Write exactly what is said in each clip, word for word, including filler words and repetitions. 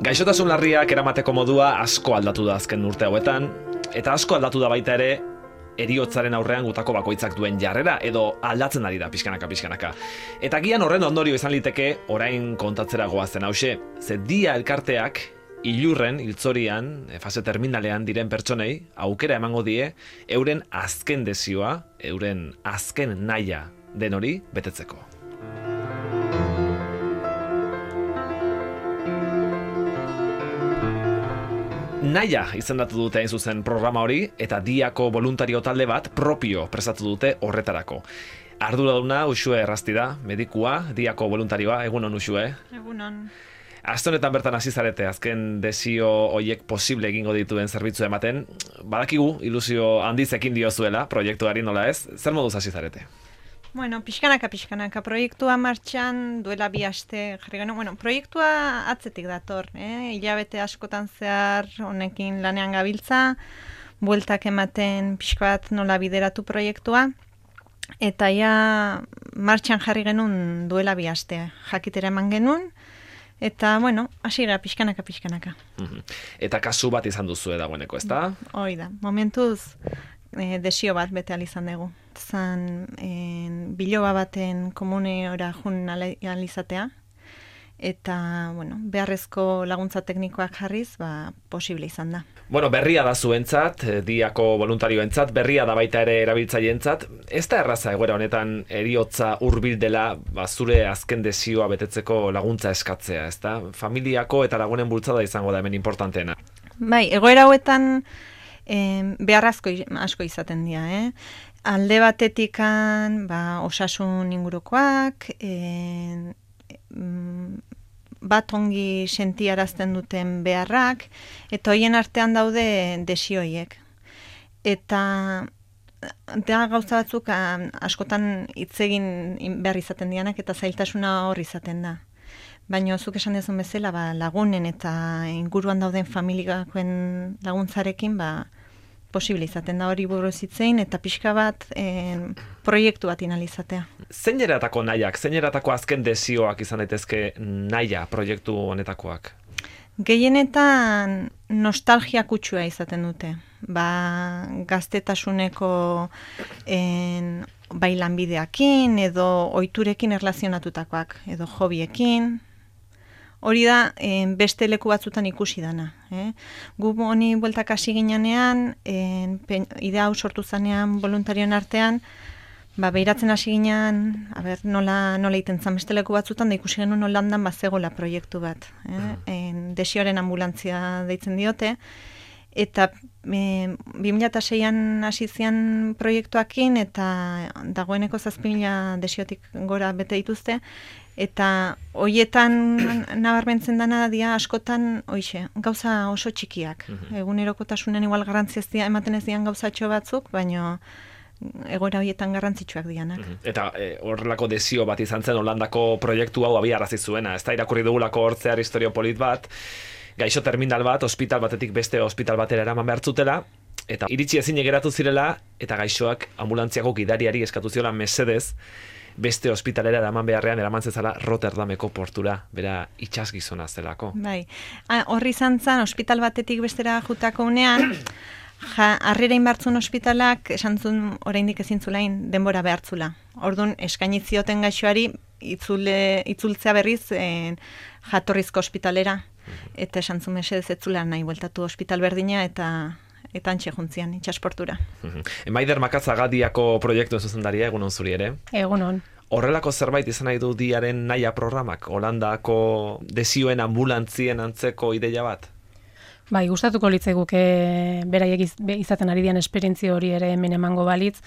Gaixotasun larriak eramateko modua asko aldatu da azken urte hauetan, eta asko aldatu da baita ere heriotzaren aurrean gutako bakoitzak duen jarrera, edo aldatzen ari da pixkanaka pixkanaka. Eta gian horren ondorio izan liteke orain kontatzera goazen hause, ze dia elkarteak ilurren, hiltzorian, fase terminalean diren pertsonei aukera emango die euren azken desioa, euren azken nahia den hori betetzeko. Nahia izendatu dute hain zuzen programa hori, eta diako voluntario talde bat propio prestatu dute horretarako. Arduraduna Uxue Errasti da, medikua, diako voluntarioa, egunon Uxue. Egunon. Aste honetan bertan hasi zarete, azken desio hoiek posible egingo dituen zerbitzu ematen. Badakigu ilusio handizekin diozuela proiektuari, nola ez? Zer moduz hasi zarete? Bueno, pixkanaka, pixkanaka. Proiektua martxan duela bi aste jarri genuen. Bueno, proiektua atzetik dator, eh? Hilabete askotan zehar honekin lanean gabiltza, bueltak ematen pixka bat nola bideratu proiektua, eta ja martxan jarri genuen duela bi aste. Jakitera eman genuen, eta, bueno, hasi gara pixkanaka, pixkanaka. Eta kasu bat izan duzu dagoeneko, ezta? Hoi da, momentuz eh, desio bat bete izan dugu. Zan en, biloba baten komune ora jun alizatea, eta bueno, beharrezko laguntza teknikoak jarriz, ba, posible izan da. Bueno, berria da zuentzat, diako voluntarioentzat, berria da baita ere erabiltzaileentzat. Ez da erraza egoera honetan heriotza hurbil dela, ba, zure azken desioa betetzeko laguntza eskatzea, ezta? Familiako eta lagunen bultzada izango da hemen importanteena. Bai, egoera hauetan eh, beharrazko asko izaten dira, eh? Alde batetikan, ba, osasun ingurukoak, e, bat ongi sentiarazten duten beharrak, eta hoien artean daude desioiek. Eta da gauza batzuk askotan hitz egin behar izaten dianak, eta zailtasuna hor izaten da. Baina zuk esan dezun bezala, ba, lagunen eta inguruan dauden familiakoen laguntzarekin, ba, posible izaten da hori buruz hitzein, eta pixka bat en, proiektu bat inalizatea. Zein eratako nahiak, zein eratako azken desioak izan daitezke nahia proiektu honetakoak? Gehienetan nostalgia kutsua izaten dute. Ba, gaztetasuneko en, bai lanbideakin, edo ohiturekin erlazionatutakoak, edo hobiekin. Hori da, eh, beste leku batzutan ikusi dana. Eh? Gu honi bueltak hasi ginean, eh, idea hau sortu zanean voluntarioen artean, ba, behiratzen hasi ginean, a ber, nola, nola iten zan beste leku batzutan, da ikusi genuen Holandan bazegola proiektu bat. Eh? En, desioaren ambulantzia deitzen diote, eta e, bi mila seian hasi zian proiektuakin, eta dagoeneko zazpi mila desiotik gora bete dituzte, eta hoietan nabarmentzen dana dia askotan, oixe, gauza oso txikiak. Mm-hmm. Egunerokotasunen igual garrantzia ez dia, ematen ez dian gauzatxo batzuk, baina egoera horietan garrantzitsuak dianak. Mm-hmm. Eta horrelako e, desio bat izan zen Holandako proiektu hau abiarazi zuena, ez da irakurri dugulako hortzear historio polit bat, gaixo terminal bat, ospital batetik beste ospital batera eraman behar zutela, eta iritsi ezin geratu zirela, eta gaixoak ambulantziako gidariari eskatu ziola mesedez, beste ospitalera eraman beharrean eraman zezala Rotterdameko portura, bera itxasgizona zelako. Bai, horri izan zen, ospital batetik bestera jutako unean, ja, harrera inbartzun ospitalak, esan zuen oraindik ezin zulain denbora behartzula. Orduan, eskainizioten gaixoari itzule, itzultzea berriz en, jatorrizko ospitalera, eta esan zuen mesedez ez zula nahi bueltatu ospital berdina, eta eta antxe juntzian, itxasportura. Maider Makazaga diako proiektu zuzendaria, egunon zuri ere? Egunon. Horrelako zerbait izan nahi du diaren nahia programak, Holandako desioen ambulantzien antzeko ideia bat? Bai, gustatuko litzaiguke beraiek izaten ari dian esperientzia hori ere hemen emango balitz,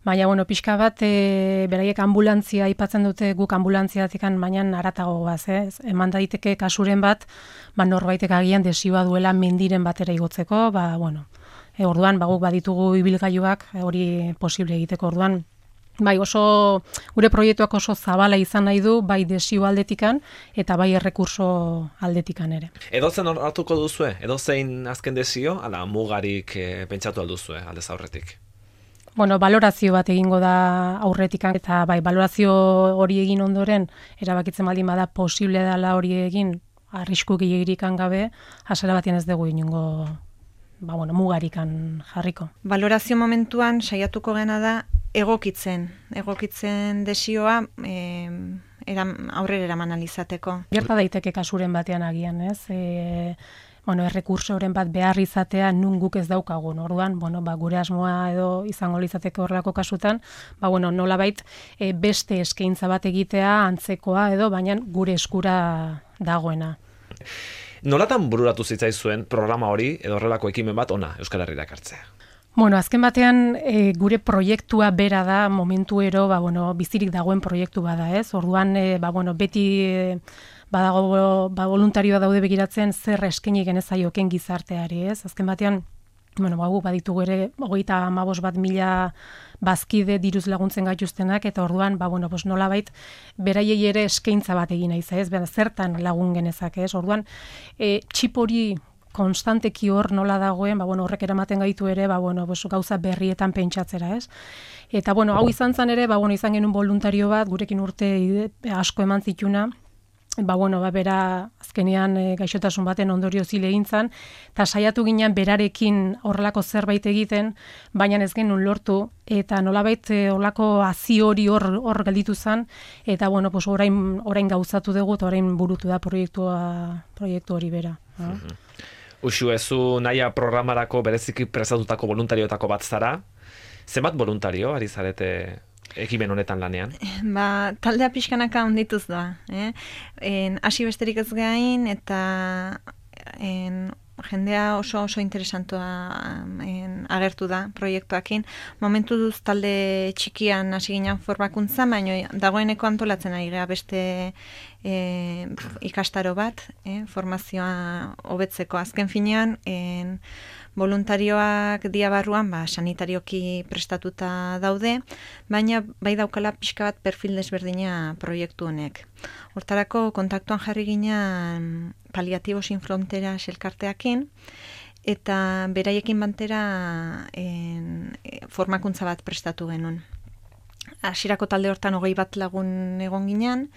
baina bueno, pixka bat e, beraiek ambulantzia aipatzen dute, guk ambulantzia-tikan baina haratago goaz, eh? Eman daiteke kasuren bat, ba norbaitek agian desioa duela mendiren batera igotzeko, ba bueno, e, orduan ba guk baditugu ibilgailuak hori posible egiteko, orduan bai, oso gure proiektuak oso zabala izan nahi du, bai desio aldetikan eta bai errekurso aldetikan ere. Edozen hartuko duzue? Edozein azken desio, ala mugarik e, pentsatu alduzue aldez aurretik? bueno, balorazio bat egingo da aurretikan, eta bai, balorazio hori egin ondoren, erabakitzen baldin bada posible dela hori egin, arrisku gehiagirikan gabe, hasara batean ez dugu inongo ba, bueno, mugarikan jarriko. Balorazio momentuan saiatuko gena da egokitzen, egokitzen desioa e, eram, aurrera eraman alizateko. Gerta daiteke kasuren batean agian, ez? E, bueno, errekursoren bat behar izatea nun guk ez daukagun. Orduan, bueno, ba, gure asmoa edo izango litzateke horrelako kasutan, ba, bueno, nolabait e, beste eskaintza bat egitea antzekoa edo, baina gure eskura dagoena. Nolatan bururatu zitzaizuen programa hori edo horrelako ekimen bat ona Euskal Herrira ekartzea? Bueno, azken batean e, gure proiektua bera da momentuero, ba, bueno, bizirik dagoen proiektu bada, ez? Orduan, e, ba, bueno, beti e, badago ba, voluntarioa daude begiratzen zer eskaini genezaioken gizarteari, ez? Azken batean, bueno, ba, baditugu ere hogeita hamabost bat mila bazkide diruz laguntzen gaituztenak, eta orduan, ba, bueno, pues nolabait, beraiei ere eskaintza bat egin naiz, ez? Bera, zertan lagun genezak, ez? Orduan, e, txip hori konstanteki hor nola dagoen, ba, bueno, horrek eramaten gaitu ere, ba, bueno, pues, gauza berrietan pentsatzera, ez? Eta, bueno, hau izan zen ere, ba, bueno, izan genuen voluntario bat, gurekin urte asko eman zituna, ba, bueno, ba, bera azkenean e, gaixotasun baten ondorio zile egintzan, eta saiatu ginen berarekin horrelako zerbait egiten, baina ez genuen lortu, eta nolabait e, horrelako hazi hori hor, hor gelditu zen, eta, bueno, pues, orain, orain gauzatu dugu, eta orain burutu da proiektua, proiektu hori bera. No? Mm-hmm. Uxu, ezu naia programarako bereziki prestatutako voluntarioetako bat zara. Zenbat voluntario ari zarete ekimen honetan lanean? Ba, taldea pixkanaka ondituz da. Eh? En, hasi besterik ez gain, eta en, jendea oso oso interesantua en, agertu da proiektuakin. Momentu duz talde txikian hasi ginen formakuntza, baina dagoeneko antolatzen ari gara beste e, ikastaro bat, e, formazioa hobetzeko. Azken finean, en, voluntarioak dia barruan, ba, sanitarioki prestatuta daude, baina bai daukala pixka bat perfil desberdina proiektu honek. Hortarako kontaktuan jarri ginen Paliatibo Sin Fronteras elkarteakin, eta beraiekin bantera en, formakuntza bat prestatu genuen. Hasierako talde hortan hogei bat lagun egon ginen,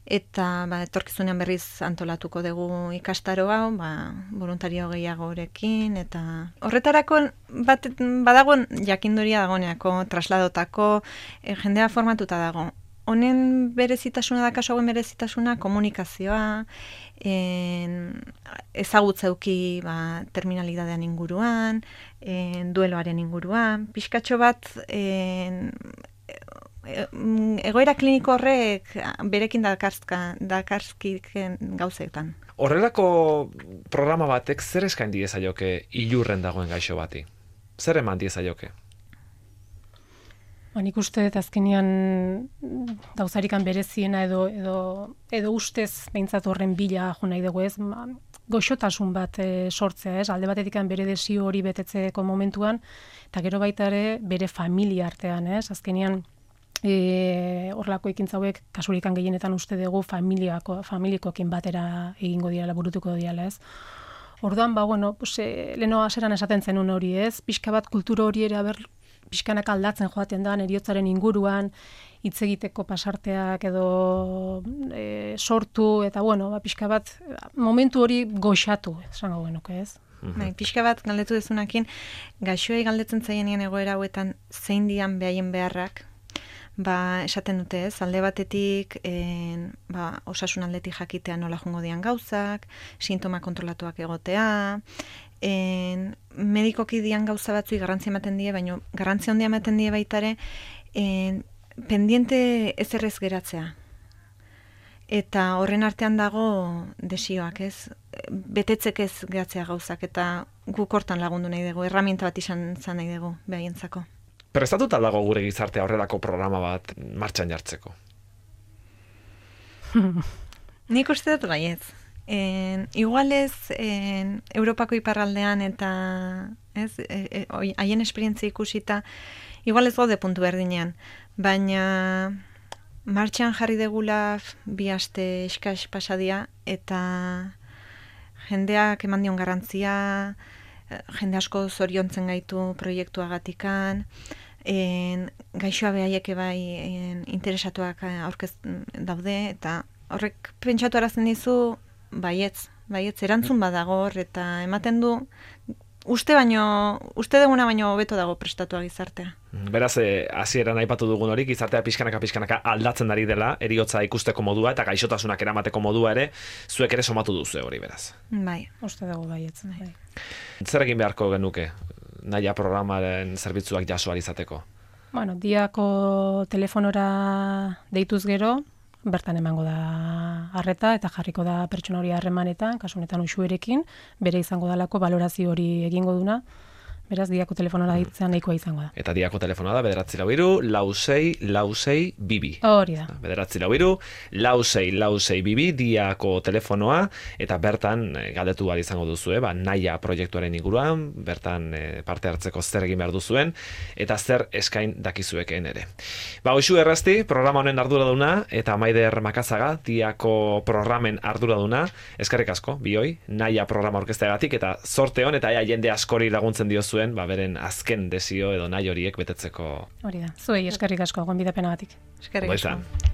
eta ba, etorkizunean berriz antolatuko dugu ikastaro hau, ba, voluntario gehiagorekin, eta horretarako bat, badago jakinduria dagoneako, trasladotako, e, jendea formatuta dago. Honen berezitasuna da, kasu hauen berezitasuna, komunikazioa, en, ezagutzeuki ba, terminalidadean inguruan, en, dueloaren inguruan, pixkatxo bat, en, egoera kliniko horrek berekin dakartzka, dakartzkiken gauzetan. Horrelako programa batek zer eskain diezaioke ilurren dagoen gaixo bati? Zer eman diezaioke? Ba, nik uste dut azkenean gauzarikan bereziena edo, edo, edo ustez behintzat horren bila jo nahi dugu, ez? Goxotasun bat e, sortzea, ez? Alde batetik bere desio hori betetzeko momentuan, eta gero baita ere bere familia artean, ez? Azkenean E, horlako ekintza hauek kasurikan gehienetan uste dugu familiako, familikoekin batera egingo diala, burutuko diala, ez? Orduan, ba, bueno, pues, e, leheno aseran esaten zenun hori, ez? Pixka bat kultura hori ere, aber, pixkanak aldatzen joaten da, heriotzaren inguruan, hitz egiteko pasarteak edo e, sortu, eta, bueno, ba, pixka bat, momentu hori goxatu, esango genuke, ez? Bai, pixka bat galdetu dezunakin, gaixoei galdetzen zaienean egoera hauetan zein dian behaien beharrak, ba, esaten dute ez, alde batetik en, ba, osasun aldetik jakitea nola jongo dian gauzak, sintoma kontrolatuak egotea, en, medikoki dian gauza batzui garrantzia ematen die, baina garrantzia handia ematen die baitare, en, pendiente ez errez geratzea. Eta horren artean dago desioak, ez? Betetzek ez geratzea gauzak, eta guk hortan lagundu nahi dugu, erramienta bat izan zan nahi dugu, behaientzako. Prestatuta dago gure gizartea horrelako programa bat martxan jartzeko? Nik uste dut baiez. En, igualez, en, Europako iparraldean eta ez, e, e, haien esperientzia ikusita, igualez gaude puntu berdinean, baina martxan jarri degula bi aste eskas pasadia, eta jendeak eman dion garrantzia, jende asko zoriontzen gaitu proiektuagatikan, en, gaixoa behaiek bai en, interesatuak aurkez daude, eta horrek pentsatu arazten dizu, baietz, baietz, erantzun badago hor, eta ematen du, uste baino, uste duguna baino hobeto dago prestatua gizartea. Beraz, eh, hasieran aipatu dugun hori, gizartea pixkanaka pixkanaka aldatzen ari dela, eriotza ikusteko modua eta gaixotasunak eramateko modua ere, zuek ere somatu duzu hori, beraz. Bai. Uste dugu baietz. Bai. Zer egin beharko genuke, naia programaren zerbitzuak jaso ahal izateko? Bueno, diako telefonora deituz gero, bertan emango da arreta eta jarriko da pertsona hori harremanetan, kasu honetan uxuerekin, bere izango dalako balorazio hori egingo duna, beraz diako telefonora deitzen nahikoa izango da. Eta diako telefonoa da bederatzi lau hiru, lau sei, lau sei, bibi. Hori da. Bederatzi lau hiru, lau sei, lau sei, bibi, diako telefonoa, eta bertan eh, galdetu behar izango duzu, eh, ba, naia proiektuaren inguruan, bertan eh, parte hartzeko zer egin behar duzuen, eta zer eskain dakizuekeen ere. Ba, hoxu errazti, programa honen arduraduna, eta Maider Makazaga, diako programen arduraduna, eskerrik asko, bioi, naia programa orkesteagatik, eta zorte hon, eta ea jende askori laguntzen diozuen, ba, beren azken desio edo nahi horiek betetzeko. Hori da. Zuei eskerrik asko gonbidapenagatik. Eskerrik Ondo asko. izan.